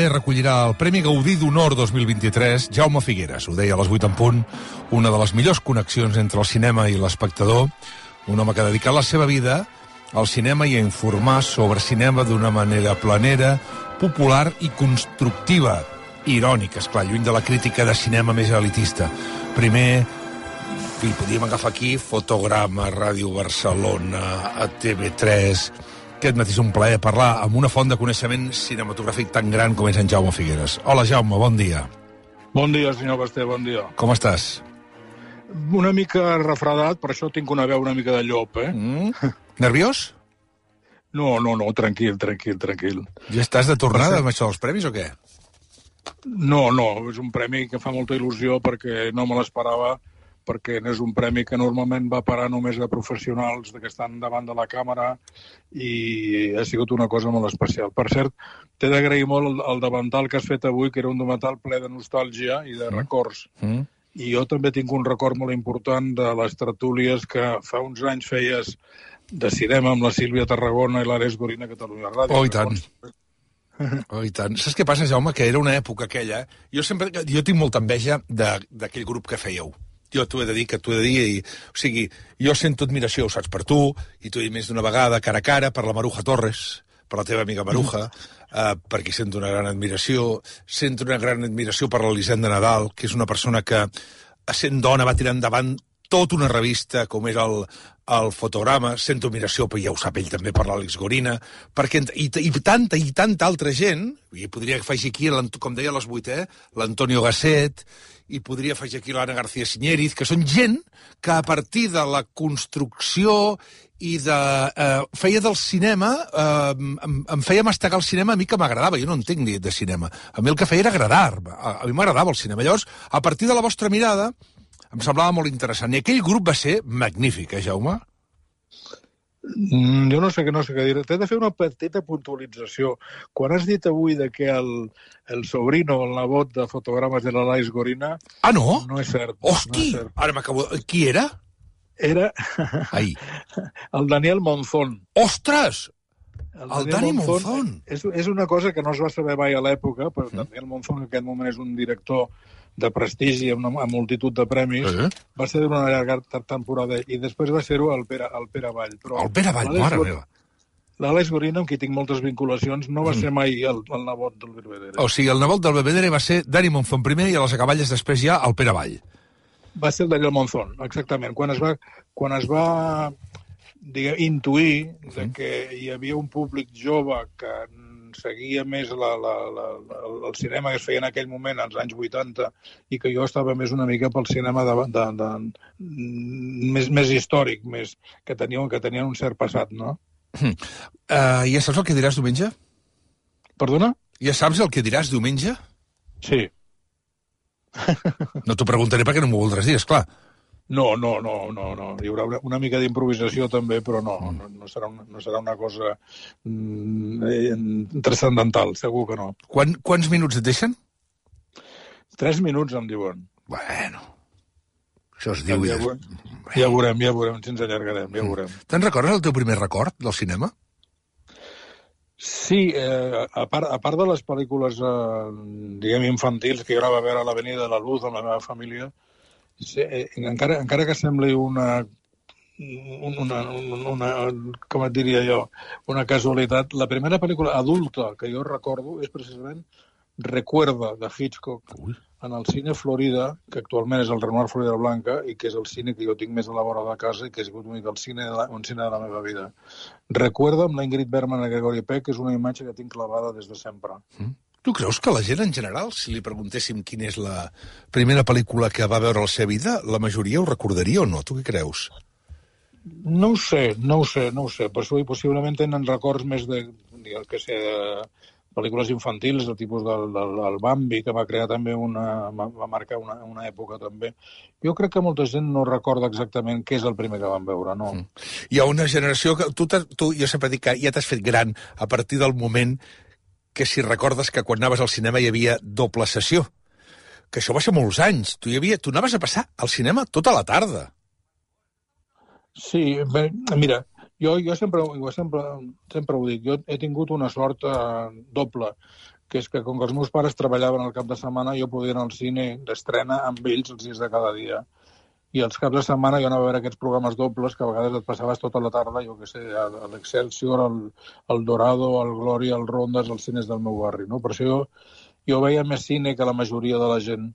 també recollirà el Premi Gaudí d'Honor 2023 Jaume Figueras. Ho deia a les 8 en punt, una de les millors connexions entre el cinema i l'espectador, un home que ha dedicat la seva vida al cinema i a informar sobre cinema d'una manera planera, popular i constructiva. Irònica, esclar, lluny de la crítica de cinema més elitista. Primer, podíem agafar aquí Fotograma, Ràdio Barcelona, a TV3. Aquest matí és un plaer parlar amb una font de coneixement cinematogràfic tan gran com és en Jaume Figueras. Hola, Jaume, bon dia. Bon dia, senyor Basté, bon dia. Com estàs? Una mica refredat, per això tinc una veu una mica de llop, Nerviós? No, tranquil. Ja estàs de tornada amb això dels premis o què? No, és un premi que fa molta il·lusió perquè no me l'esperava, perquè és un premi que normalment va parar només a professionals que estan davant de la càmera i ha sigut una cosa molt especial. Per cert, t'he d'agrair molt el davantal que has fet avui, que era un davantal ple de nostàlgia i de records. I jo també tinc un record molt important de les tertúlies que fa uns anys feies de cinema amb la Sílvia Tarragona i l'Àlex Gorina a Catalunya Ràdio. Oh, i tant. Oh, i tant. Saps què passa, Jaume? Que era una època aquella. Jo tinc molta enveja d'aquell grup que fèieu. Jo t'ho he de dir, o sigui, jo sento admiració, ho saps, per tu, i t'ho he dit més d'una vegada, cara a cara, per la Maruja Torres, per la teva amiga Maruja, perquè sento una gran admiració per l'Elisenda Nadal, que és una persona que, sent dona, va tirar endavant tota una revista, com era el Fotograma. Sento admiració, però ja ho sap ell també, per l'Àlex Gorina, perquè, i tanta altra gent, i podria afegir aquí, com deia a les 8, l'Antonio Gasset, i podria afegir aquí l'Anna García Siñériz, que són gent que a partir de la construcció i feia del cinema, em feia mastegar el cinema a mi que m'agradava. Jo no entenc de cinema. A mi el que feia era agradar-me. A mi m'agradava el cinema. Llavors, a partir de la vostra mirada, em semblava molt interessant. I aquell grup va ser magnífic, Jaume? Jo no sé què dir. T'he de fer una petita puntualització. Quan has dit avui que el sobrino, el nebot de Fotogrames de l'Àlex Gorina... Ah, no? No és cert. Hosti! No és cert. Ara m'acabo... Qui era? Era el Daniel Monzón. Ostres! El Dani Monzón. És una cosa que no es va saber mai a l'època, però Daniel Monzón en aquest moment és un director de prestigi amb multitud de premis. Va ser d'una llarga temporada i després va ser-ho el Pere Vall. Però el Pere Vall, mare meva. L'Àlex Gorina, amb qui tinc moltes vinculacions, no va ser mai el nebot del Belvedere. O sigui, el nebot del Belvedere va ser Dani Monzón primer i a les acaballes després ja el Pere Vall. Va ser el Daniel Monzón, exactament. Quan es va intuir que hi havia un públic jove que seguia més el cinema que es feia en aquell moment, als anys 80, i que jo estava més una mica pel cinema més històric, que tenien un cert passat, no? Ja saps el que diràs diumenge? Perdona? Ja saps el que diràs diumenge? Sí. No t'ho preguntaré perquè no m'ho voldràs dir, esclar. No. Hi haurà una mica d'improvisació també, però no serà una cosa transcendental, segur que no. Quants minuts et deixen? 3 minuts, em diuen. Bueno, això es diu... Ja veurem, si ens allargarem, ja veurem. Te'n recordes el teu primer record del cinema? Sí, a part de les pel·lícules, diguem, infantils, que jo anava a veure a l'Avenida de la Luz amb la meva família, sí, encara que sembli una com et diria jo, una casualitat, la primera pel·lícula adulta que jo recordo és precisament Recuerda, de Hitchcock, en el cine Florida, que actualment és el Renoir Florida Blanca, i que és el cine que jo tinc més a la vora de casa i que ha sigut un cine de la meva vida. Recuerda, amb la Ingrid Bergman i Gregory Peck, és una imatge que tinc clavada des de sempre. Tu creus que la gent en general, si li preguntéssim quina és la primera pel·lícula que va veure a la seva vida, la majoria ho recordaria o no? Tu què creus? No ho sé. Possiblement tenen records més de pel·lícules infantils, del tipus del Bambi, que va crear també va marcar una època també. Jo crec que molta gent no recorda exactament què és el primer que van veure, no? Hi ha una generació que... Jo sempre dic que ja t'has fet gran a partir del moment que si recordes que quan anaves al cinema hi havia doble sessió. Que això va ser molts anys. Tu anaves a passar al cinema tota la tarda. Sí, mira... Jo sempre ho dic, jo he tingut una sort doble. que és que com que els meus pares treballaven al cap de setmana, jo podia anar al cine d'estrena amb ells els dies de cada dia. I els caps de setmana jo anava a veure aquests programes dobles que a vegades et passaves tota la tarda, jo què sé, a l'Excelsior, al Dorado, al Glòria, al Rondes, als cines del meu barri, no? Per això jo veia més cine que la majoria de la gent.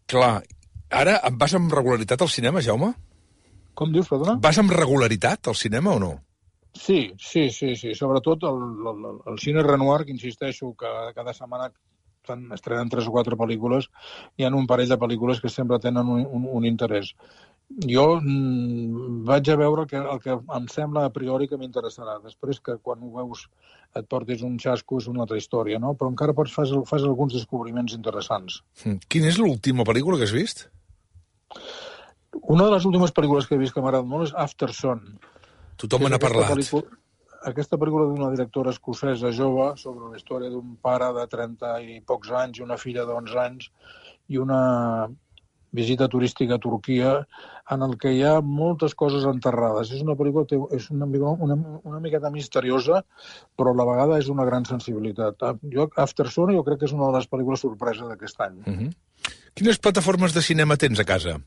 Clar. Ara vas amb regularitat al cinema, Jaume? Com dius, perdona? Vas amb regularitat al cinema o no? Sí. Sobretot el cine Renoir, que insisteixo que cada setmana estrenen 3 o 4 pel·lícules, hi ha un parell de pel·lícules que sempre tenen un interès. Jo vaig a veure el que em sembla a priori que m'interessarà. Després que quan ho veus et portis un xasco és una altra història, no? Però encara fas alguns descobriments interessants. Quina és l'última pel·lícula que has vist? Una de les últimes pel·lícules que he vist que m'agrada molt és Aftersun. Tothom me n'ha parlat. Aquesta pel·lícula d'una directora escocesa jove sobre la història d'un pare de 30 i pocs anys i una filla d'11 anys i una visita turística a Turquia en el que hi ha moltes coses enterrades. És una pel·lícula és una miqueta misteriosa, però a la vegada és una gran sensibilitat. Aftersun jo crec que és una de les pel·lícules sorpresa d'aquest any. Quines plataformes de cinema tens a casa?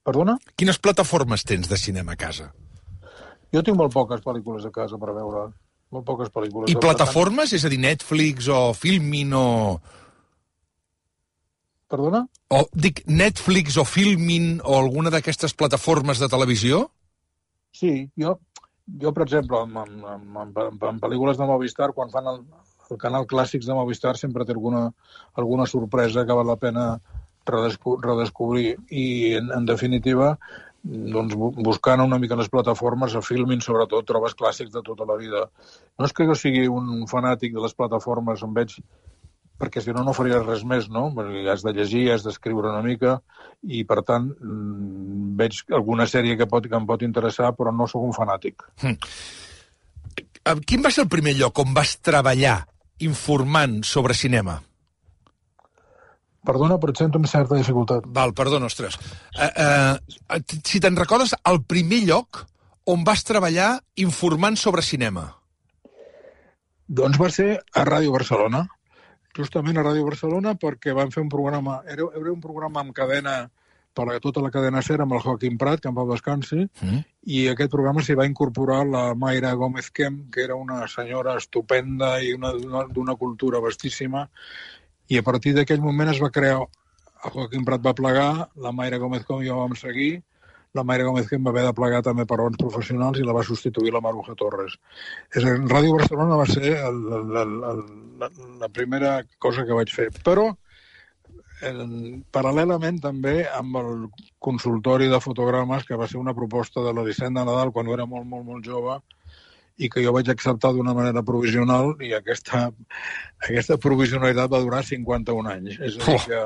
Perdona? Quines plataformes tens de cinema a casa? Jo tinc molt poques pel·lícules a casa per veure. Molt poques pel·lícules. I plataformes? És a dir, Netflix o Filmin o... Perdona? O dic Netflix o Filmin o alguna d'aquestes plataformes de televisió? Sí, jo per exemple, en pel·lícules de Movistar, quan fan el canal Clàssics de Movistar, sempre té alguna sorpresa que val la pena redescobrir. I, en definitiva, doncs, buscant una mica les plataformes, a Filmin, sobretot, trobes clàssics de tota la vida. No és que jo sigui un fanàtic de les plataformes, em veig, perquè si no faria res més, no? Perquè has de llegir, has d'escriure una mica, i, per tant, veig alguna sèrie que em pot interessar, però no sóc un fanàtic. Quin va ser el primer lloc on vas treballar informant sobre cinema? Perdona, però et sento amb certa dificultat. Val, perdona, ostres. Si te'n recordes, el primer lloc on vas treballar informant sobre cinema? Doncs va ser a Ràdio Barcelona. Justament a Ràdio Barcelona, perquè van fer un programa... Era un programa amb cadena, per a tota la cadena SER, amb el Joaquim Prat, que en pau descansi, i aquest programa s'hi va incorporar la Mayra Gómez Kemp, que era una senyora estupenda i d'una cultura vastíssima. I a partir d'aquell moment es va crear... El Joaquim Prat va plegar, la Mayra Gómez Kemp i jo vam seguir, la Mayra Gómez Kemp va haver de plegar també per raons professionals i la va substituir la Maruja Torres. Ràdio Barcelona va ser la primera cosa que vaig fer. Però, paral·lelament també amb el consultori de fotogrames, que va ser una proposta de la Dissent de Nadal quan era molt, molt, molt jove, i que jo vaig acceptar d'una manera provisional, i aquesta provisionalitat va durar 51 anys. És a dir que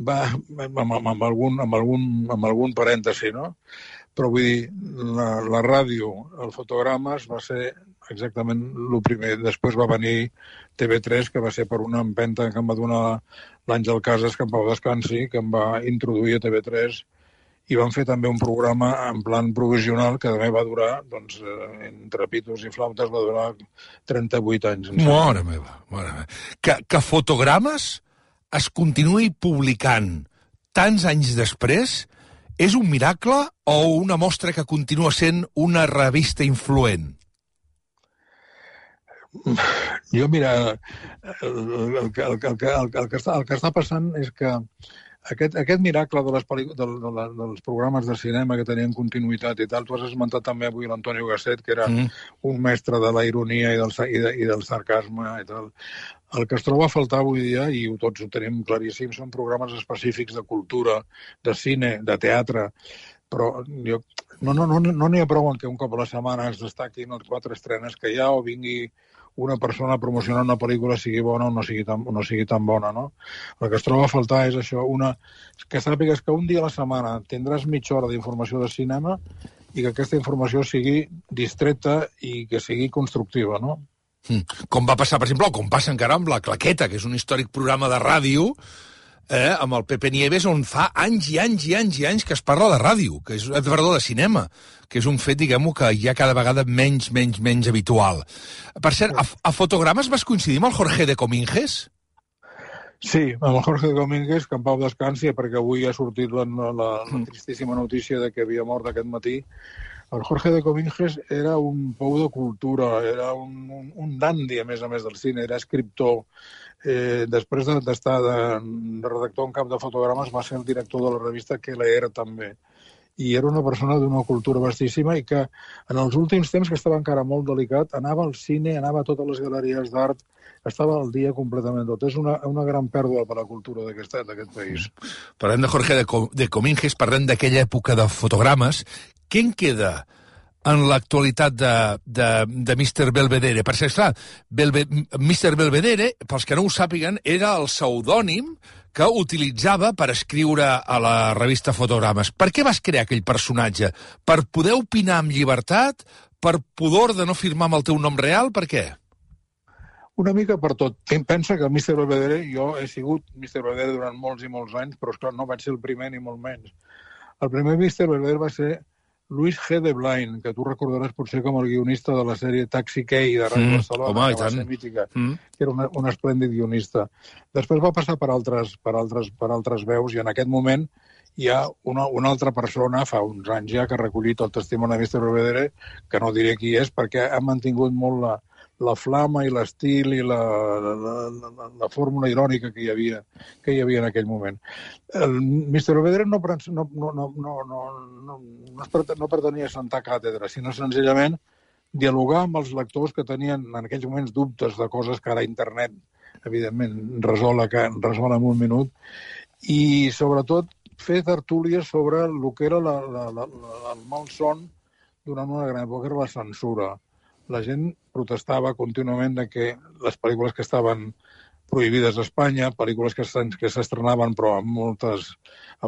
va amb algun parèntesi, no? Però vull dir, la ràdio, el fotogrames, va ser exactament el primer. Després va venir TV3, que va ser per una empenta que em va donar l'Àngel Casas, que en pau descansi, que em va introduir a TV3, i van fer també un programa en plan provisional que també va durar, doncs, entre pitos i flautes, va durar 38 anys. Mare meva. Que fotogrames es continuï publicant tants anys després és un miracle o una mostra que continua sent una revista influent? Jo, mira, el que està passant és que aquest miracle dels programes de cinema que tenien continuïtat i tal, tu has esmentat també avui l'Antonio Gasset, que era un mestre de la ironia i del sarcasme i tal. El que es troba a faltar avui dia, i tots ho tenim claríssim, són programes específics de cultura, de cine, de teatre, però no n'hi ha prou en que un cop a la setmana es destaquin les 4 estrenes que hi ha o vingui una persona a promocionar una pel·lícula, sigui bona o no sigui tan bona, no? El que es troba a faltar és això, que sàpigues que un dia a la setmana tindràs mitja hora d'informació de cinema i que aquesta informació sigui distreta i que sigui constructiva, no? Com va passar, per exemple, o com passa encara amb La Claqueta, que és un històric programa de ràdio amb el Pepe Nieves, on fa anys i anys i anys i anys que es parla de ràdio, que és, perdó, de cinema, que és un fet, diguem-ho, que hi ha cada vegada menys habitual. Per cert, a Fotogrames vas coincidir amb el Jorge de Cominges? Sí, amb el Jorge de Cominges, que en pau descansi, perquè avui ha sortit la tristíssima notícia de que havia mort aquest matí. El Jorge de Cominges era un pou de cultura, era un dandy, a més del cine, era escriptor. Després d'estar de redactor en cap de Fotogrames, va ser el director de la revista Que Leer, també. I era una persona d'una cultura vastíssima i que en els últims temps, que estava encara molt delicat, anava al cine, anava a totes les galeries d'art, estava al dia completament tot. És una gran pèrdua per la cultura d'aquest país. Parlem de Jorge de Cominges, parlem d'aquella època de Fotogrames. Què en queda en l'actualitat de Mr. Belvedere? Per ser clar, Mr. Belvedere, pels que no ho sàpiguen, era el pseudònim que utilitzava per escriure a la revista Fotogrames. Per què vas crear aquell personatge? Per poder opinar amb llibertat? Per pudor de no firmar amb el teu nom real? Per què? Una mica per tot. Pensa que Mr. Belvedere, jo he sigut Mr. Belvedere durant molts i molts anys, però esclar, no vaig ser el primer ni molt menys. El primer Mr. Belvedere va ser Luis G. de Blain, que tu recordaràs potser com el guionista de la sèrie Taxi Key de Ràdio Barcelona, home, que va ser mítica, que era un esplèndid guionista. Després va passar per altres veus i en aquest moment hi ha una altra persona, fa uns anys ja, que ha recollit el testimoni de Mr. Belvedere, que no diré qui és, perquè ha mantingut molt la flama i l'estil i la fórmula irònica que hi havia en aquell moment. El Mr. Belvedere no pretenia assentar càtedra, sinó senzillament dialogar amb els lectors que tenien en aquells moments dubtes de coses que ara internet, evidentment, resol en un minut, i sobretot fer tertúlies sobre el que era el malson durant una gran època, que era la censura. La gent protestava contínuament de que les pel·lícules que estaven prohibides a Espanya, pel·lícules que s'estrenaven però amb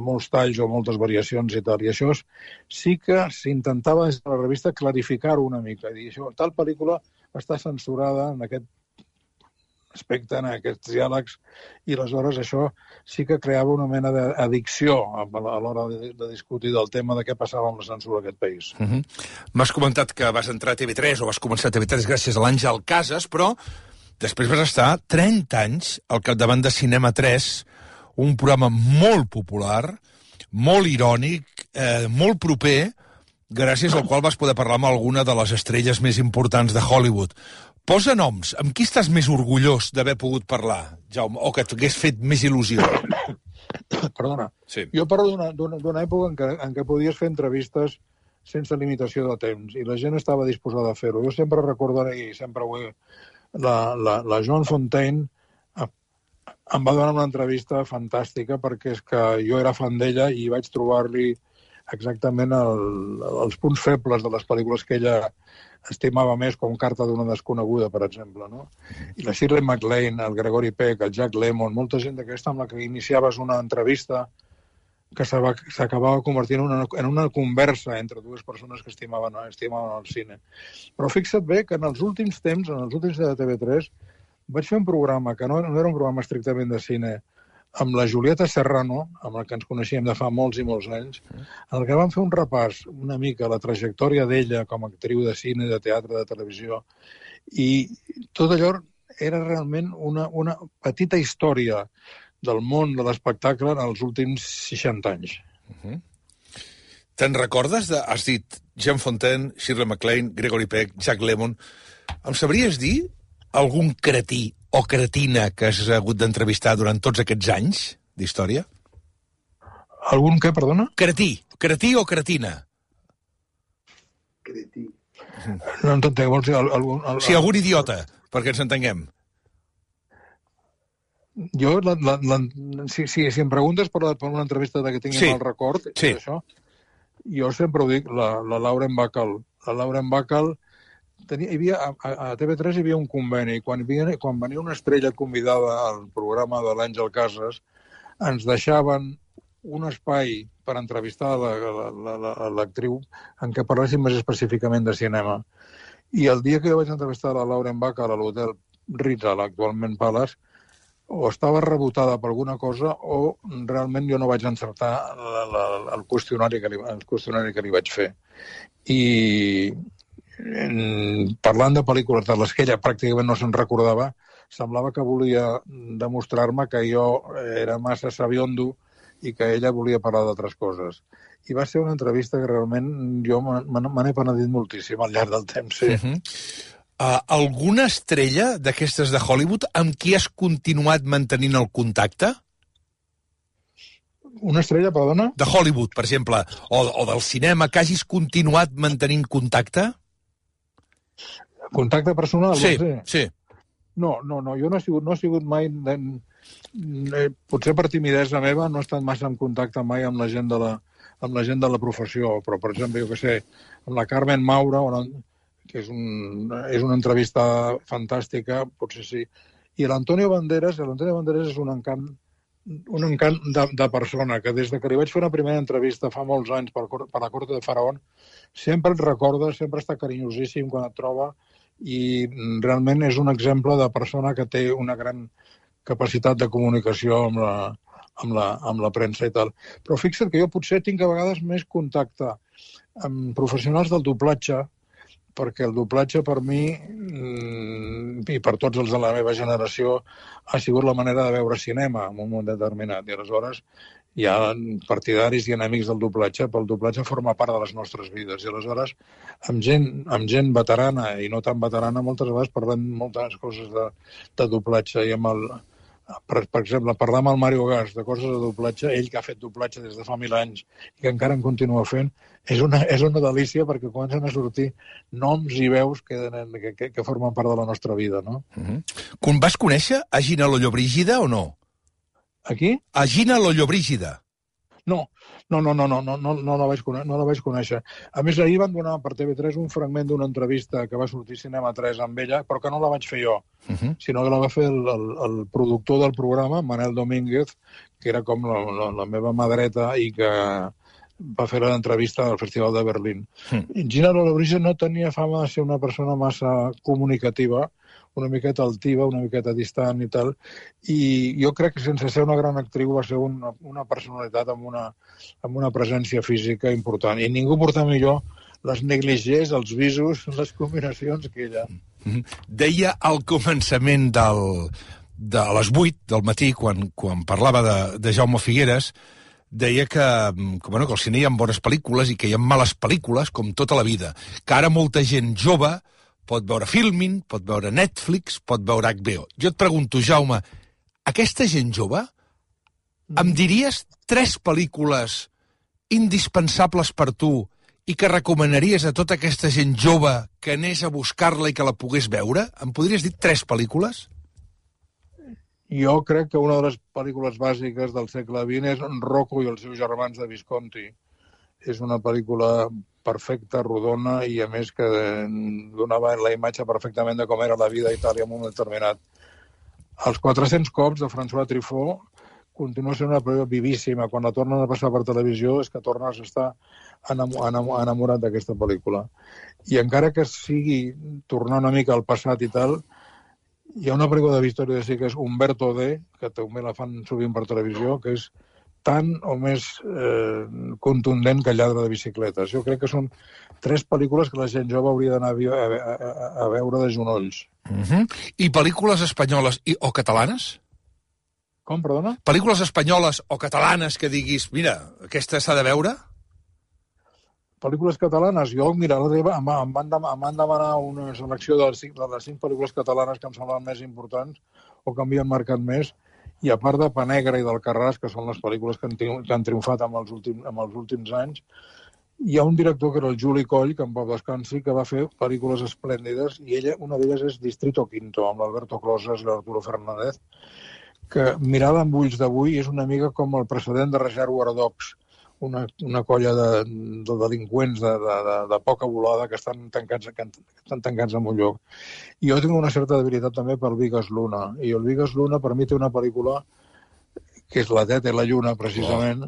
molts talls o moltes variacions i tal. I això sí que s'intentava des de la revista clarificar-ho una mica. Dir, això, tal pel·lícula està censurada en aquest aspecte, en aquests diàlegs, i aleshores això sí que creava una mena d'addicció a l'hora de discutir del tema de què passava amb la censura a aquest país. M'has comentat que vas entrar a TV3 o vas començar a TV3 gràcies a l'Àngel Casas, però després vas estar 30 anys al capdavant de Cinema 3, un programa molt popular, molt irònic, molt proper, gràcies al qual vas poder parlar amb alguna de les estrelles més importants de Hollywood. Posa noms. Amb qui estàs més orgullós d'haver pogut parlar, Jaume, o que t'hagués fet més il·lusió? Perdona. Sí. Jo parlo d'una època en què podies fer entrevistes sense limitació de temps, i la gent estava disposada a fer-ho. Jo sempre recordaré, i sempre ho he... La Joan Fontaine em va donar una entrevista fantàstica perquè és que jo era fan d'ella i vaig trobar-li exactament els punts febles de les pel·lícules que ella estimava més, com Carta d'una desconeguda, per exemple, no? I la Shirley MacLaine, el Gregory Peck, el Jack Lemmon, molta gent d'aquesta amb la que iniciaves una entrevista que s'acabava convertint en una conversa entre dues persones que estimaven el cine. Però fixa't bé que en els últims temps, en els últims de TV3, vaig fer un programa que no era un programa estrictament de cine, amb la Julieta Serrano, amb la que ens coneixíem de fa molts i molts anys, en el que vam fer un repàs una mica a la trajectòria d'ella com a actriu de cine, de teatre, de televisió, i tot allò era realment una petita història del món de l'espectacle en els últims 60 anys. Te'n recordes has dit Jean Fontaine, Shirley MacLaine, Gregory Peck, Jack Lemmon. Em sabries dir algun cretí o cretina que has hagut d'entrevistar durant tots aquests anys d'història? Algun què, perdona? Cretí o cretina? Cretí. No entenc, vols dir algun... Sí, algun idiota, perquè ens entenguem. Jo, si em preguntes per una entrevista que tingui mal record, això, jo sempre ho dic, la Lauren Bacall. La Lauren Bacall, a TV3 hi havia un conveni, i quan venia una estrella convidada al programa de l'Àngel Casas, ens deixaven un espai per entrevistar l'actriu en què parléssim més específicament de cinema. I el dia que jo vaig entrevistar la Lauren Bacall a l'hotel Ritz, actualment Palace, o estava rebotada per alguna cosa o realment jo no vaig encertar el qüestionari que li vaig fer. I parlant de pel·lícules de les que ella pràcticament no se'n recordava, semblava que volia demostrar-me que jo era massa sabiondo i que ella volia parlar d'altres coses. I va ser una entrevista que realment jo me n'he penedit moltíssim al llarg del temps, sí. Alguna estrella d'aquestes de Hollywood amb qui has continuat mantenint el contacte? Una estrella, perdona? De Hollywood, per exemple, o del cinema, que hagis continuat mantenint contacte? Contacte personal? Sí. No, jo no he sigut mai... Potser per timidesa meva no he estat massa en contacte mai amb la gent de la professió, però, per exemple, jo què sé, amb la Carmen Maura, que és una entrevista fantàstica, potser sí, i l'Antonio Banderas és un encant de persona, que des que li vaig fer una primera entrevista fa molts anys per la Corte de Faraón, sempre et recorda, sempre està carinyosíssim quan et troba, i realment és un exemple de persona que té una gran capacitat de comunicació amb la premsa i tal. Però fixa't que jo potser tinc a vegades més contacte amb professionals del doblatge, perquè el doblatge per mi i per tots els de la meva generació ha sigut la manera de veure cinema en un moment determinat. I aleshores hi ha partidaris i enemics del doblatge, però el doblatge forma part de les nostres vides. I aleshores, amb gent veterana i no tan veterana, moltes vegades parlem moltes coses de doblatge. I per exemple, parlar amb el Mario Gas de coses de doblatge, ell que ha fet doblatge des de fa 1000 anys i que encara en continua fent, és una delícia perquè comencen a sortir noms i veus que formen part de la nostra vida, no? Vas conèixer a Gina Lollobrigida o no? A qui? A Gina Lollobrigida. No la vaig conèixer. A més, ahir van donar per TV3 un fragment d'una entrevista que va sortir Cinema 3 amb ella, però que no la vaig fer jo, sinó que la va fer el productor del programa, Manel Domínguez, que era com la meva mà dreta i que va fer l'entrevista al Festival de Berlín. Gina Lollobrigida no tenia fama de ser una persona massa comunicativa, una miqueta altiva, una miqueta distant i tal, i jo crec que sense ser una gran actriu va ser una personalitat amb una presència física important, i ningú porta millor les negligés, els visos, les combinacions que ella. Deia al començament de les 8 del matí, quan parlava de Jaume Figueres, deia que al cine hi ha bones pel·lícules i que hi ha males pel·lícules, com tota la vida, que ara molta gent jove pot veure Filmin, pot veure Netflix, pot veure HBO. Jo et pregunto, Jaume, aquesta gent jove, em diries 3 pel·lícules indispensables per tu i que recomanaries a tota aquesta gent jove que anés a buscar-la i que la pogués veure? Em podries dir 3 pel·lícules? Jo crec que una de les pel·lícules bàsiques del segle XX és Rocco i els seus germans de Visconti. És una pel·lícula perfecta, rodona, i a més que donava la imatge perfectament de com era la vida a Itàlia en un moment determinat. Els 400 cops de François Truffaut continua sent una pel·lícula vivíssima. Quan la tornen a passar per televisió és que tornes a estar enamorat d'aquesta pel·lícula. I encara que sigui tornar una mica al passat i tal, hi ha una pel·lícula de Vittorio De Sica, que és Umberto D, que també la fan sovint per televisió, que és tant o més contundent que Lladre de bicicletes. Jo crec que són 3 pel·lícules que la gent jove hauria d'anar a veure de genolls. I pel·lícules espanyoles o catalanes? Com, perdona? Pel·lícules espanyoles o catalanes que diguis, mira, aquesta s'ha de veure? Pel·lícules catalanes? Jo, mira, em van demanar una selecció de les 5 pel·lícules catalanes que em semblen més importants o que m'havien marcat més, i a part de Pa Negra i d'Alcarràs, que són les pel·lícules que han triomfat en els últims anys, hi ha un director que era el Juli Coll, que en pau descansi, que va fer pel·lícules esplèndides, i una d'elles és Distrito Quinto, amb l'Alberto Closas i l'Arturo Fernández, que mirada amb ulls d'avui és una mica com el precedent de Reservoir Dogs, una colla de delinqüents de poca volada que estan tancats en un lloc. I jo tinc una certa debilitat també per Vigas Luna, i el Vigas Luna per mi té una pel·lícula que és La Teta i la Lluna, precisament,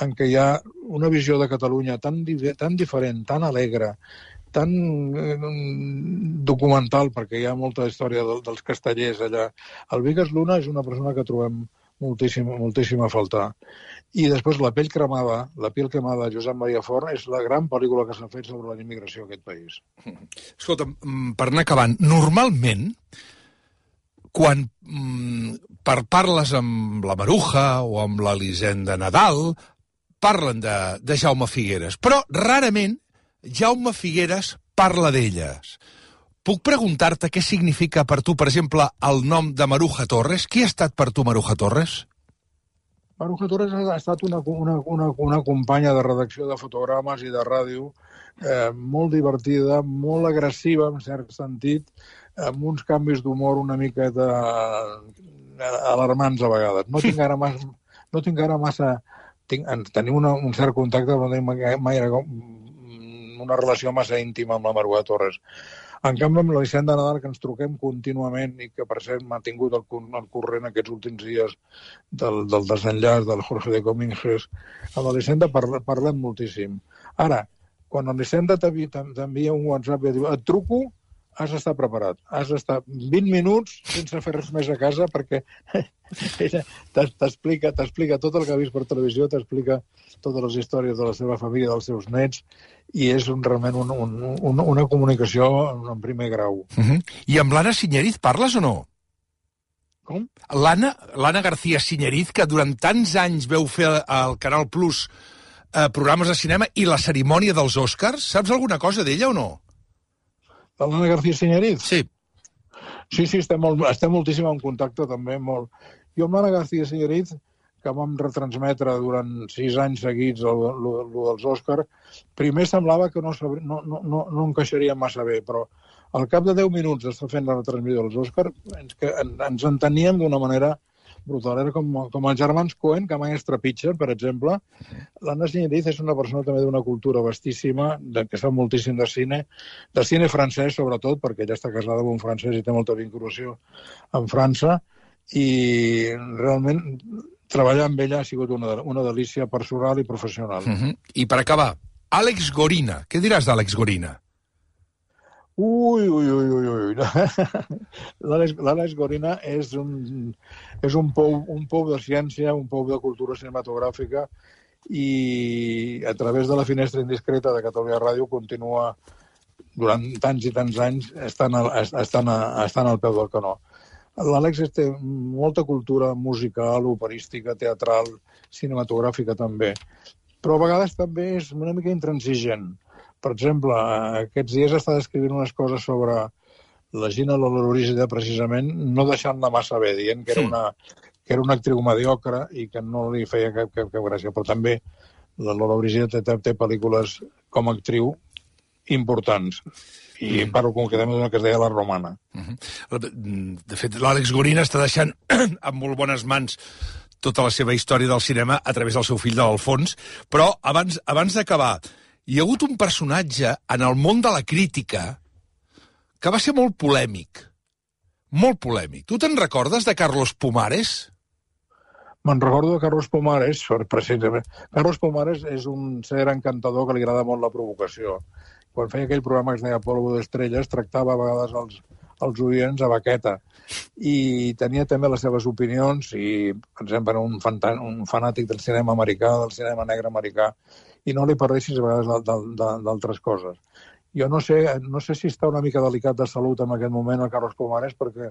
en què hi ha una visió de Catalunya tan diferent, tan alegre, tan documental, perquè hi ha molta història dels castellers allà. El Vigas Luna és una persona que trobem moltíssim a faltar. I després La pell cremada de Josep Maria Fort és la gran pel·lícula que s'ha fet sobre la immigració a aquest país. Escolta, per anar acabant, normalment, quan parles amb la Maruja o amb l'Elisenda Nadal, parlen de Jaume Figueres, però rarament Jaume Figueres parla d'elles. Puc preguntar-te què significa per tu, per exemple, el nom de Maruja Torres? Qui ha estat per tu Maruja Torres? Maruja Torres ha estat una companya de redacció de fotogrames i de ràdio molt divertida, molt agressiva, en cert sentit, amb uns canvis d'humor una miqueta alarmants a vegades. No tinc ara massa... Tenim un cert contacte, però no tenim mai una relació massa íntima amb la Maruja Torres. En canvi, amb l'Elisenda Nadal, que ens truquem contínuament i que, per cert, m'ha tingut el corrent aquests últims dies del desenllaç del Jorge de Cominges, amb l'Elisenda parlem moltíssim. Ara, quan l'Elisenda t'envia un WhatsApp i diu et truco, has d'estar preparat. Has d'estar 20 minuts sense fer res més a casa perquè t'explica tot el que ha vist per televisió, t'explica totes les històries de la seva família, dels seus nets, i és realment una comunicació en primer grau. I amb l'Anna Siñeriz parles o no? Com? L'Anna García Siñeriz, que durant tants anys veu fer al Canal Plus programes de cinema i la cerimònia dels Oscars, saps alguna cosa d'ella o no? L'Anna García Siñeriz? Sí. Sí, estem moltíssim en contacte també, molt. Jo amb l'Anna García Siñeriz, que vam retransmetre durant 6 anys seguits dels Oscars, primer semblava que no encaixaria massa bé, però al cap de 10 minuts d'estar fent la retransmissió dels Oscars ens enteníem d'una manera brutal. Era com els germans Coen, que mai es trepitgen, per exemple. L'Anna Siñeriz és una persona també d'una cultura vastíssima, que sap moltíssim de cine francès, sobretot, perquè ella està casada amb un francès i té molta vinculació amb França, i realment treballar amb ella ha sigut una delícia personal i professional. I per acabar, Àlex Gorina. Què diràs d'Àlex Gorina? Ui. L'Àlex Gorina és un pou de ciència, un pou de cultura cinematogràfica, i a través de la finestra indiscreta de Catalunya Ràdio continua durant tants i tants anys estant al peu del canó. L'Àlex té molta cultura musical, operística, teatral, cinematogràfica també, però a vegades també és una mica intransigent. Per exemple, aquests dies està descrivint unes coses sobre la Gina Lollobrigida, precisament, no deixant-la massa bé, dient que era una actriu mediocre i que no li feia cap gràcia. Però també la Lollobrigida té pel·lícules com a actriu importants. I parlo concretament d'una que es deia La Romana. De fet, l'Àlex Gorina està deixant en molt bones mans tota la seva història del cinema a través del seu fill de l'Alfons, però abans d'acabar, hi ha hagut un personatge en el món de la crítica que va ser molt polèmic. Molt polèmic. Tu te'n recordes de Carlos Pumares? Me'n recordo de Carlos Pumares, precisament. Carlos Pumares és un ser encantador que li agrada molt la provocació. Quan feia aquell programa que es deia Polvo d'Estrelles, tractava a vegades els oients a baqueta. I tenia també les seves opinions i, per exemple, era un fanàtic del cinema americà, del cinema negre americà, i no li parlessis a vegades d'altres coses. Jo no sé si està una mica delicat de salut en aquest moment el Carlos Pumares, perquè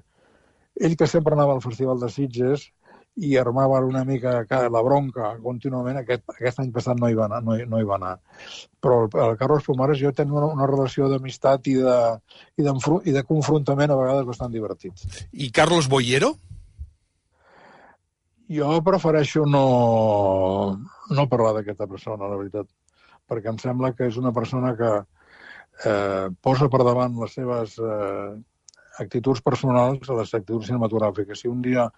ell, que sempre anava al Festival de Sitges i armava una mica la bronca contínuament, aquest any passat no hi va anar. Però el Carlos Pumares jo tenia una relació d'amistat i de confrontament a vegades bastant divertit. I Carlos Boyero? Jo prefereixo no parlar d'aquesta persona, la veritat, perquè em sembla que és una persona que posa per davant les seves actituds personals a les actituds cinematogràfiques. Si un dia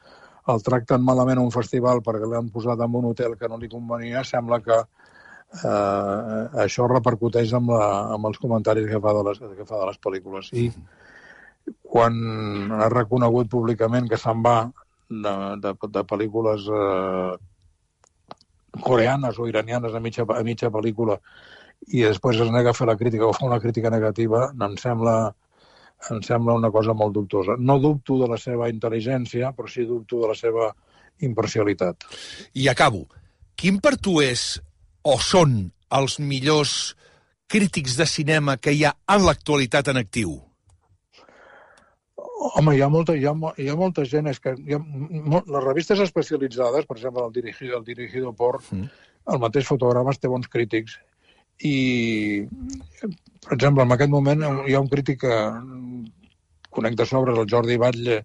el tracten malament a un festival perquè l'han posat en un hotel que no li convenia, sembla que això repercuteix amb els comentaris que fa de les pel·lícules. I quan ha reconegut públicament que se'n va de pel·lícules coreanes o iranianes a mitja pel·lícula i després es nega a fer la crítica o fa una crítica negativa, em sembla una cosa molt dubtosa. No dubto de la seva intel·ligència, però sí dubto de la seva imparcialitat. I acabo. Quin per tu és o són els millors crítics de cinema que hi ha en l'actualitat en actiu? Home, hi ha molta gent. És que les revistes especialitzades, per exemple, el Dirigido por, el mateix Fotogrames té bons crítics. I, per exemple, en aquest moment hi ha un crític que conec de sobres, el Jordi Batlle,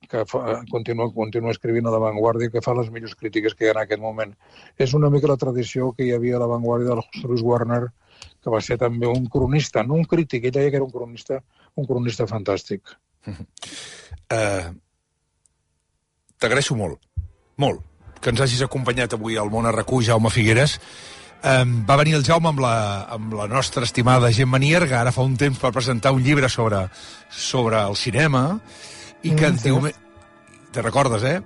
que continua escrivint a La Vanguardia, que fa les millors crítiques que hi ha en aquest moment. És una mica la tradició que hi havia a La Vanguardia del José Luis Warner, que va ser també un cronista, no un crític, ell deia que era un cronista fantàstic. T'agraeixo molt, que ens hagis acompanyat avui al Món a RAC1, Jaume Figueres. Va venir el Jaume amb la nostra estimada Gemma Nierga, ara fa un temps, per presentar un llibre sobre el cinema, i que ens diu... Te recordes, eh?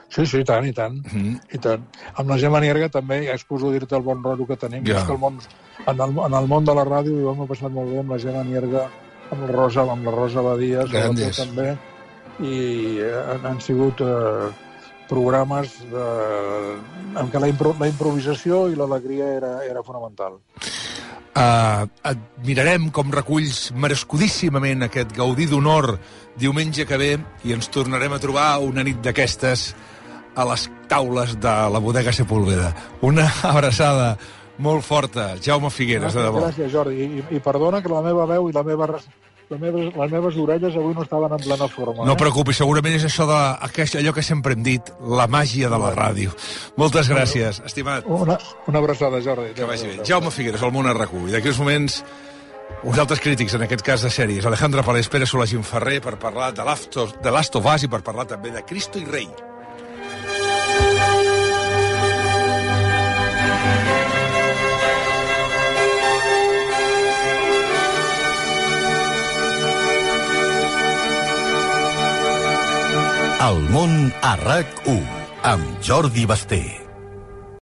Sí, i tant. I tant. Amb la Gemma Nierga també, ja excuso dir-te el bon rotllo que tenim. És que en el món de la ràdio ho hem passat molt bé amb la Gemma Nierga, amb la Rosa Badia, també, i han sigut programes en què la improvisació i l'alegria era fonamental. Et mirarem com reculls merescudíssimament aquest Gaudí d'Honor diumenge que ve i ens tornarem a trobar una nit d'aquestes a les taules de la bodega Sepúlveda. Una abraçada molt forta, Jaume Figueres, de debò. Gràcies, Jordi, i perdona que la meva veu i les meves orelles avui no estaven en plena forma. No preocupis, segurament és allò que sempre hem dit, la màgia de la ràdio. Moltes gràcies, estimat. Una abraçada, Jordi. Que vagi bé. Jaume Figueres, al Món a RAC1. I d'aquí uns moments, uns altres crítics, en aquest cas de sèries. Alejandra Palés, Pere Solagín Ferrer, per parlar de Last of Us i per parlar també de Cristo i Rei. El Món a RAC1, amb Jordi Basté.